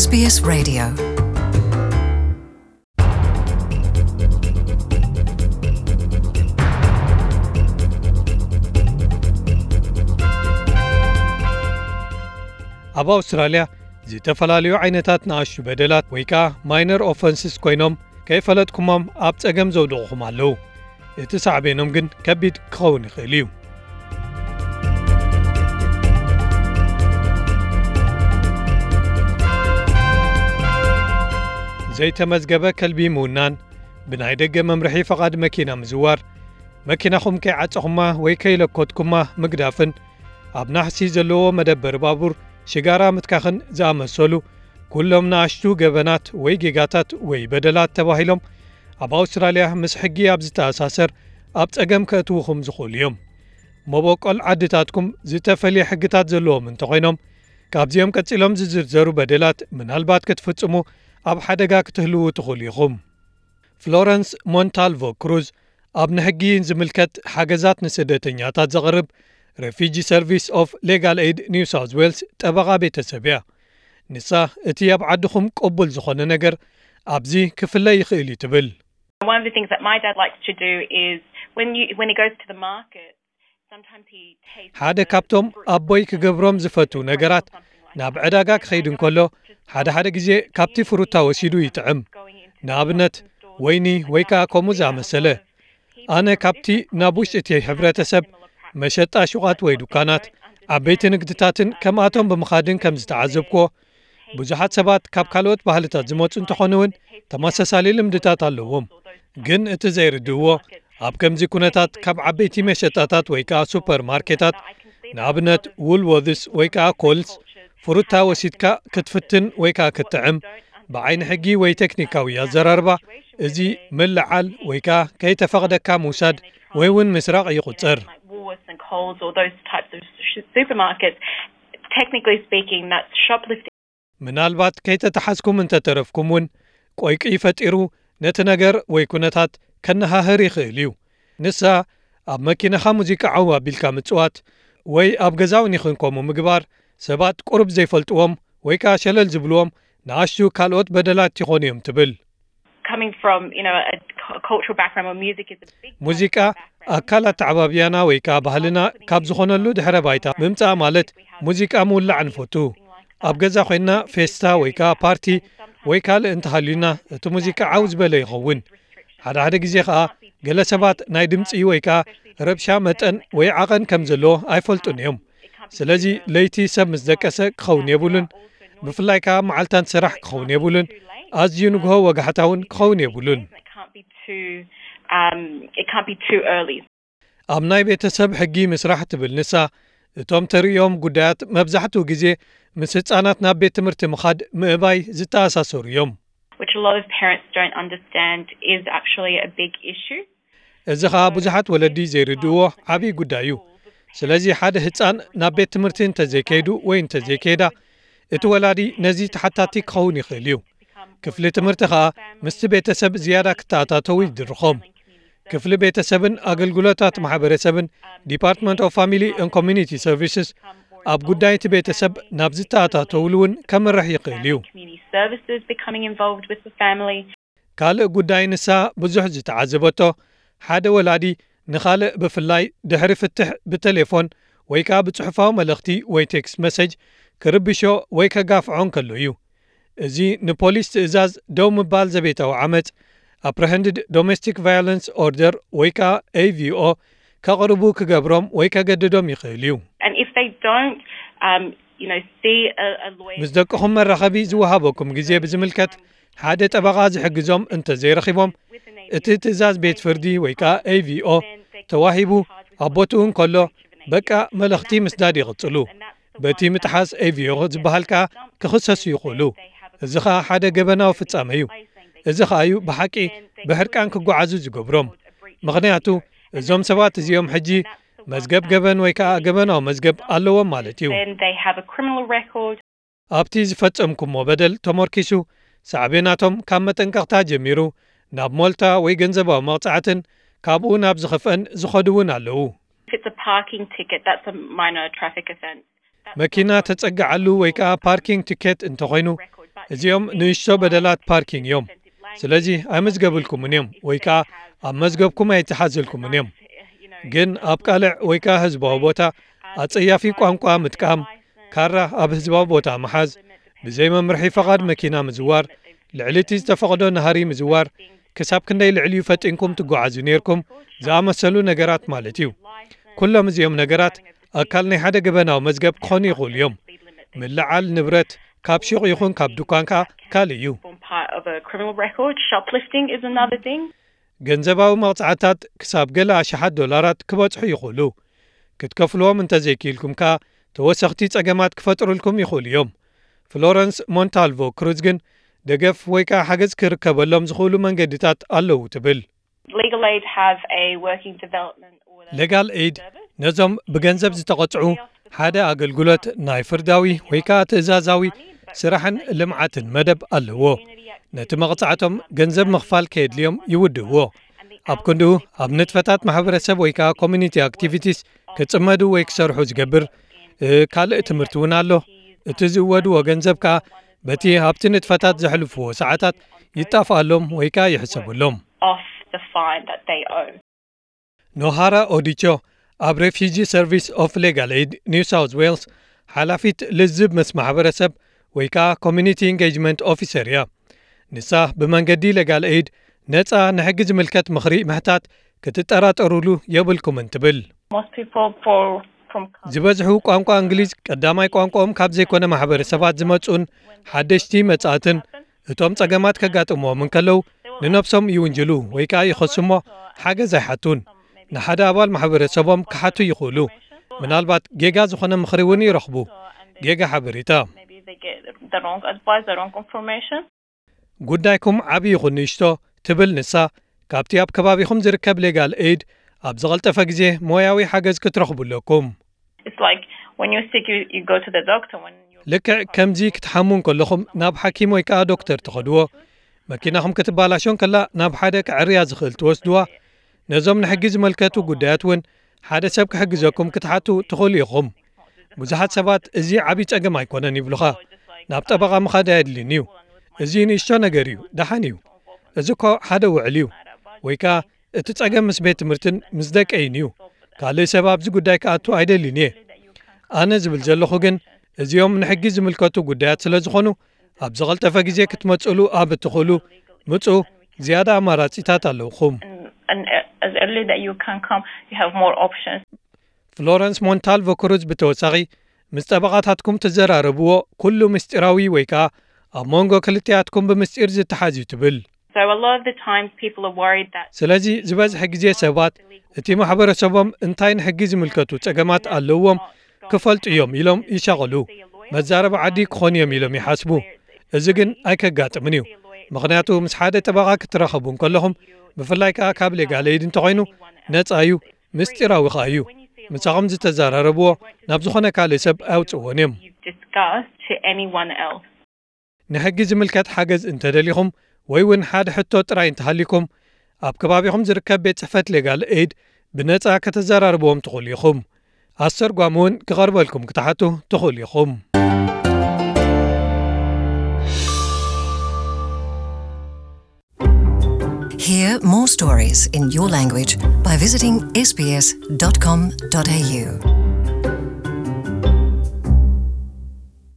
S B S Radio. ኣብ ኣውስትራልያ ዝተፈላለዩ ዓይነታት ንኣሽቱ በደላት ወይ ከኣ ማይነር ኦፈንስስ ኮይኖም ከይፈለጥኩሞም ኣብ ጸገም ዘውድቑኹም ኣለዉ። እቲ ሳዕቤኖም ግን ከቢድ ክኸውን ይኽእል እዩ። ዘይተመዝገበ ከልቢ ምውናን፣ ብናይ ደገ መምርሒ ፈቓድ መኪና ምዝዋር፣ መኪናኹም ከይዓጸኹማ ወይ ከይለኮትኩማ ምግዳፍን፣ ኣብ ናሕሲ ዘለዎ መደበር ባቡር ሽጋራ ምትካኽን ዝኣመሰሉ ኩሎም ንኣሽቱ ገበናት ወይ ጌጋታት ወይ በደላት ተባሂሎም ኣብ ኣውስትራልያ ምስ ሕጊ ኣብ ዝተኣሳሰር ኣብ ጸገም ከእትውኹም ዝኽእሉ እዮም። መበቆል ዓድታትኩም ዝተፈልየ ሕግታት ዘለዎም እንተኾይኖም፣ ካብዚኦም ቀጺሎም ዝዝርዘሩ በደላት ምናልባት ክትፍጽሙ ኣብ ሓደጋ ክትህልዉ ትኽእሉ ኢኹም። ፍሎረንስ ሞንታልቮ ክሩዝ ኣብ ንሕጊ ዝምልከት ሓገዛት ንስደተኛታት ዘቕርብ Refugee Service of Legal Aid New South Wales ጠበቓ ቤተሰብ እያ። ንሳ እቲ ኣብ ዓድኹም ቅቡል ዝኾነ ነገር ኣብዚ ክፍለ ይኽእል እዩ ትብል። One of the things that my dad likes to do is when you when he goes to the market, sometimes he tastes ሓደ ካብቶም ኣቦይ ክገብሮም ዝፈቱ ነገራት ናብ ዕዳጋ ክኸይድ እንከሎ ሓደ ሓደ ግዜ ካብቲ ፍሩታ ወሲዱ ይጥዕም። ንኣብነት ወይኒ ወይ ከኣ ከምኡ ዝኣመሰለ። ኣነ ካብቲ ናብ ውሽጢ እቲ ሕብረተሰብ መሸጣ ሹቓት ወይ ዱካናት፣ ዓበይቲ ንግድታትን ከምኣቶም ብምኻድን ከም ዝተዓዘብክዎ፣ ብዙሓት ሰባት ካብ ካልኦት ባህልታት ዝመጹ እንተኾኑ እውን ተመሳሳሊ ልምድታት ኣለዎም። ግን እቲ ዘይርድእዎ፣ ኣብ ከምዚ ኩነታት ካብ ዓበይቲ መሸጣታት ወይ ከኣ ሱፐርማርኬታት፣ ንኣብነት ውልወርትስ ወይ ከኣ ኮልስ፣ ፍሩታ ወሲድካ ክትፍትን ወይ ከኣ ክትጥዕም፣ ብዓይኒ ሕጊ ወይ ቴክኒካዊ ኣዘራርባ፣ እዚ ምልዓል ወይ ከኣ ከይተፈቕደካ ምውሳድ ወይ እውን ምስራቕ ይቑጸር። Like Woolworths and Coles or those types of sh- supermarkets, technically speaking, that's shoplifting. ምናልባት ከይተተሓዝኩም እንተተረፍኩም እውን፣ ቆይቂ ፈጢሩ ነቲ ነገር ወይ ኩነታት ከነሃህር ይኽእል እዩ። ንሳ ኣብ መኪናኻ ሙዚቃ ዓው ኣቢልካ ምጽዋት ወይ ኣብ ገዛውን ይኹን ከምኡ ምግባር፣ ሰባት ቁሩብ ዘይፈልጥዎም ወይ ከኣ ሸለል ዝብልዎም ንኣሽቱ ካልኦት በደላት ይኾኑ እዮም ትብል። Coming from, you know, a cu- cultural background where music is a big part of ሙዚቃ our background, ኣካል ኣተዓባብያና ወይ ከኣ ባህልና ካብ ዝኾነሉ ድሕረ ባይታ ምምጻእ ማለት ሙዚቃ ምውላዕ ንፈቱ። ኣብ ገዛ ኮይንና ፌስታ ወይ ከኣ ፓርቲ ወይ ካልእ እንተሃልዩና እቲ ሙዚቃ ዓው ዝበለ ይኸውን። ሓደ ሓደ ግዜ ከኣ ገለ ሰባት ናይ ድምጺ ወይ ከኣ ረብሻ መጠን ወይ ዓቐን ከም ዘለዎ ኣይፈልጡን እዮም። ስለዚ ለይቲ ሰብ ምስ ደቀሰ ክኸውን የብሉን። ብፍላይ ከኣ መዓልታት ስራሕ ክኸውን የብሉን። ኣዝዩ ንግሆ ወጋሕታ እውን ክኸውን የብሉን። It can't be too, um, it can't be too early. ኣብ ናይ ቤተሰብ ሕጊ ምስራሕ ትብል ንሳ፣ እቶም ተርእዮም ጉዳያት መብዛሕትኡ ግዜ ምስ ህጻናት ናብ ቤት ትምህርቲ ምኻድ ምእባይ ዝተኣሳሰሩ እዮም። Which a lot of parents don't understand is actually a big issue. እዚ ኸኣ ብዙሓት ወለዲ ዘይርድእዎ ዓብዪ ጉዳይ እዩ። ስለዚ ሓደ ህጻን ናብ ቤት ትምህርቲ እንተዘይከይዱ ወይ እንተዘይከይዳ፣ እቲ ወላዲ ነዚ ተሓታቲ ክኸውን ይኽእል እዩ። ክፍሊ ትምህርቲ ኸኣ ምስቲ ቤተሰብ ዝያዳ ክተኣታተዉ ይድርኾም። ክፍሊ ቤተሰብን ኣገልግሎታት ማሕበረሰብን፣ Department of Family and Community Services፣ ኣብ ጉዳይ እቲ ቤተሰብ ናብ ዝተኣታተውሉ እውን ከምርሕ ይኽእል እዩ። Community services becoming involved with the family. ካልእ ጉዳይ ንሳ ብዙሕ ዝተዓዘበቶ፣ ሓደ ወላዲ ንኻልእ ብፍላይ ድሕሪ ፍትሕ ብቴሌፎን ወይ ከኣ ብጽሑፋዊ መልእኽቲ ወይ ቴክስት መሰጅ ክርብሾ ወይ ከጋፍዖ እንከሎ እዩ። እዚ ንፖሊስ ትእዛዝ ደው ምባል ዘቤታዊ ዓመጽ፣ Apprehended Domestic Violence Order ወይ ከኣ A V O፣ ከቕርቡ ክገብሮም ወይ ከገድዶም ይኽእል እዩ። And if they don't, um, you know, see a, a lawyer. ምስ ደቅኹም መራኸቢ ዝወሃበኩም ግዜ ብዝምልከት ሓደ ጠበቓ ዝሕግዞም እንተዘይረኺቦም፣ እቲ ትእዛዝ ቤት ፍርዲ ወይ ከኣ A V O ተዋሂቡ ኣብ ቦትኡ እንከሎ፣ በቃ መልእኽቲ ምስዳድ ይቕጽሉ። በቲ ምጥሓስ A V O ዝበሃል ከኣ ክኽሰሱ ይኽእሉ። እዚ ኸኣ ሓደ ገበናዊ ፍጻመ እዩ። እዚ ኸኣ እዩ ብሓቂ ብሕርቃን ክጓዓዙ ዝገብሮም። ምኽንያቱ እዞም ሰባት እዚኦም ሕጂ መዝገብ ገበን ወይ ከኣ ገበናዊ መዝገብ ኣለዎም ማለት እዩ። Then they have a criminal record. ኣብቲ ዝፈጸምኩሞ በደል ተመርኪሱ፣ ሳዕቤናቶም ካብ መጠንቀቕታ ጀሚሩ ናብ ሞልታ ወይ ገንዘባዊ መቕጻዕትን ካብኡ ናብ ዝኸፍአን ዝኸዱ እውን ኣለዉ። If it's a parking ticket, that's a minor traffic offence. መኪና ተጸግዓሉ ወይ ከኣ ፓርኪንግ ቲኬት እንተኾይኑ፣ እዚኦም ንእሽቶ በደላት ፓርኪንግ እዮም። ስለዚ ኣይመዝገብልኩምን እዮም ወይ ከዓ ኣብ መዝገብኩም ኣይተሓዘልኩምን እዮም። ግን ኣብ ቃልዕ ወይ ከዓ ህዝባዊ ቦታ ኣጸያፊ ቋንቋ ምጥቃም፣ ካራ ኣብ ህዝባዊ ቦታ ምሓዝ፣ ብዘይ መምርሒ ፈቓድ መኪና ምዝዋር፣ ልዕሊ እቲ ዝተፈቕዶ ናህሪ ምዝዋር፣ ክሳብ ክንደይ ልዕሊኡ ፈጢንኩም ትጓዓዙ ነይርኩም ዝኣመሰሉ ነገራት ማለት እዩ። ኩሎም እዚኦም ነገራት ኣካል ናይ ሓደ ገበናዊ መዝገብ ክኾኑ ይኽእሉ እዮም። ምልዓል ንብረት ካብ ሹቕ ይኹን ካብ ድኳን ከኣ ካልእ እዩ። Form part of a criminal record. Shoplifting is another thing. ገንዘባዊ መቕጻዕታት ክሳብ ገለ ኣሽሓት ዶላራት ክበጽሑ ይኽእሉ። ክትከፍልዎም እንተዘይክኢልኩም ከኣ ተወሰኽቲ ጸገማት ክፈጥሩልኩም ይኽእሉ እዮም። ፍሎረንስ ሞንታልቮ ክሩዝ ግን ደገፍ ወይ ከኣ ሓገዝ ክርከበሎም ዝኽእሉ መንገድታት ኣለዉ ትብል። Legal Aid have a working development order. ሌጋል ኤይድ ነዞም ብገንዘብ ዝተቐጽዑ ሓደ ኣገልግሎት ናይ ፍርዳዊ ወይ ከኣ ትእዛዛዊ ስራሕን ልምዓትን መደብ ኣለዎ። ነቲ መቕጻዕቶም ገንዘብ ምኽፋል ከየድልዮም ይውድእዎ። ኣብ ክንድኡ ኣብ ንጥፈታት ማሕበረሰብ ወይ ከኣ ኮሚኒቲ ኣክቲቪቲስ ክጽመዱ ወይ ክሰርሑ ዝገብር እ፣ ካልእ ትምህርቲ እውን ኣሎ። እቲ ዝእወድዎ ገንዘብ ከኣ በቲ ኣብቲ ንጥፈታት ዘሕልፍዎ ሰዓታት ይጣፍኣሎም ወይ ከኣ ይሕሰበሎም። Off the fine that they owe. ኖሃራ ኦዲቾ ኣብ ሬፊጂ ሰርቪስ ኦፍ ሌጋል ኤይድ ኒው ሳውዝ ዌልስ ሓላፊት ልዝብ ምስ ማሕበረሰብ ወይ ከኣ ኮሚኒቲ ኢንጌጅመንት ኦፊሰር እያ። ንሳ ብመንገዲ ሌጋል ኤይድ ነጻ ንሕጊ ዝምልከት ምኽሪ ምሕታት ክትጠራጠሩሉ የብልኩምን ትብል። Most people fall from ዝበዝሑ ቋንቋ እንግሊዝ ቀዳማይ ቋንቋኦም ካብ ዘይኮነ ማሕበረሰባት ዝመጹን ሓደሽቲ መጻእትን እቶም ጸገማት ከጋጥምዎም እንከለዉ ንነብሶም ይውንጅሉ ወይ ከኣ ይኸሱ እሞ ሓገዝ ኣይሓቱን። ንሓደ ኣባል ማሕበረሰቦም ክሓቱ ይኽእሉ። ምናልባት ጌጋ ዝኾነ ምኽሪ እውን ይረኽቡ። ጌጋ ሓበሬታ። Maybe they get the wrong advice, the wrong information. ጉዳይኩም ዓቢ ይኹን ንእሽቶ ትብል ንሳ፣ ካብቲ ኣብ ከባቢኹም ዝርከብ ሌጋል ኤይድ ኣብ ዝቐልጠፈ ግዜ ሞያዊ ሓገዝ ክትረኽቡ ኣለኩም። It's like when you're sick, you, you go to the doctor. When you're ልክዕ ከምዚ ክትሓሙ እንከለኹም ናብ ሓኪም ወይ ከኣ ዶክተር ትኸድዎ። መኪናኹም ክትባላሾ እንከላ ናብ ሓደ ክዕርያ ዝኽእል ትወስድዋ። ነዞም ንሕጊ ዝመልከቱ ጉዳያት እውን ሓደ ሰብ ክሕግዘኩም ክትሓቱ ትኽእሉ ኢኹም። ብዙሓት ሰባት እዚ ዓቢ ጸገም ኣይኮነን ይብሉኻ። ናብ ጠበቓ ምኻድ ኣየድልን እዩ። እዚ ንእሽቶ ነገር እዩ፣ ደሓን እዩ። እዚ እኮ ሓደ ውዕል እዩ። ወይ ከኣ እቲ ጸገም ምስ ቤት ትምህርትን ምስ ደቀይን እዩ። ካልእ ሰብ ኣብዚ ጉዳይ ክኣቱ ኣይደልን እየ። ኣነ ዝብል ዘለኹ ግን እዚኦም ንሕጊ ዝምልከቱ ጉዳያት ስለ ዝኾኑ ኣብ ዝቐልጠፈ ግዜ ክትመጽሉ ኣብ እትኽእሉ ምጹ ዝያዳ ኣማራጺታት ኣለውኹም። And, and as early that you can come, you have more options. ፍሎረንስ ሞንታልቮ ክሩዝ ብተወሳኺ ምስ ጠበቓታትኩም ትዘራረብዎ ኩሉ ምስጢራዊ ወይ ከኣ ኣብ መንጎ ክልቲኣትኩም ብምስጢር ዝተሓዝ እዩ ትብል። So a lot of the times people are worried that ስለዚ ዝበዝሐ ግዜ ሰባት እቲ ማሕበረሰቦም እንታይ ንሕጊ ዝምልከቱ ጸገማት ኣለዎም ክፈልጡ እዮም ኢሎም ይሻቐሉ። መዛረቢ ዓዲ ክኾኑ እዮም ኢሎም ይሓስቡ። እዚ ግን ኣይከጋጥምን እዩ። ምኽንያቱ ምስ ሓደ ጠበቓ ክትራኸቡ እንከለኹም ብፍላይ ከኣ ካብ ሌጋል ኤይድ እንተኾይኑ ነጻ እዩ፣ ምስጢራዊ ከኣ እዩ። ምሳኹም ዝተዘራረብዎ ናብ ዝኾነ ካልእ ሰብ ኣውጽእዎን እዮም። You've discussed to anyone else. ንሕጊ ዝምልከት ሓገዝ እንተደሊኹም ወይ እውን ሓደ ሕቶ ጥራይ እንተሃሊኩም ኣብ ከባቢኹም ዝርከብ ቤት ጽሕፈት ሌጋል ኤይድ ብነጻ ከተዘራርብዎም ትኽእሉ ኢኹም። ኣስተርጓሚ እውን ክቐርበልኩም ክትሓቱ ትኽእሉ ኢኹም። Hear more stories in your language by visiting S B S dot com dot A U.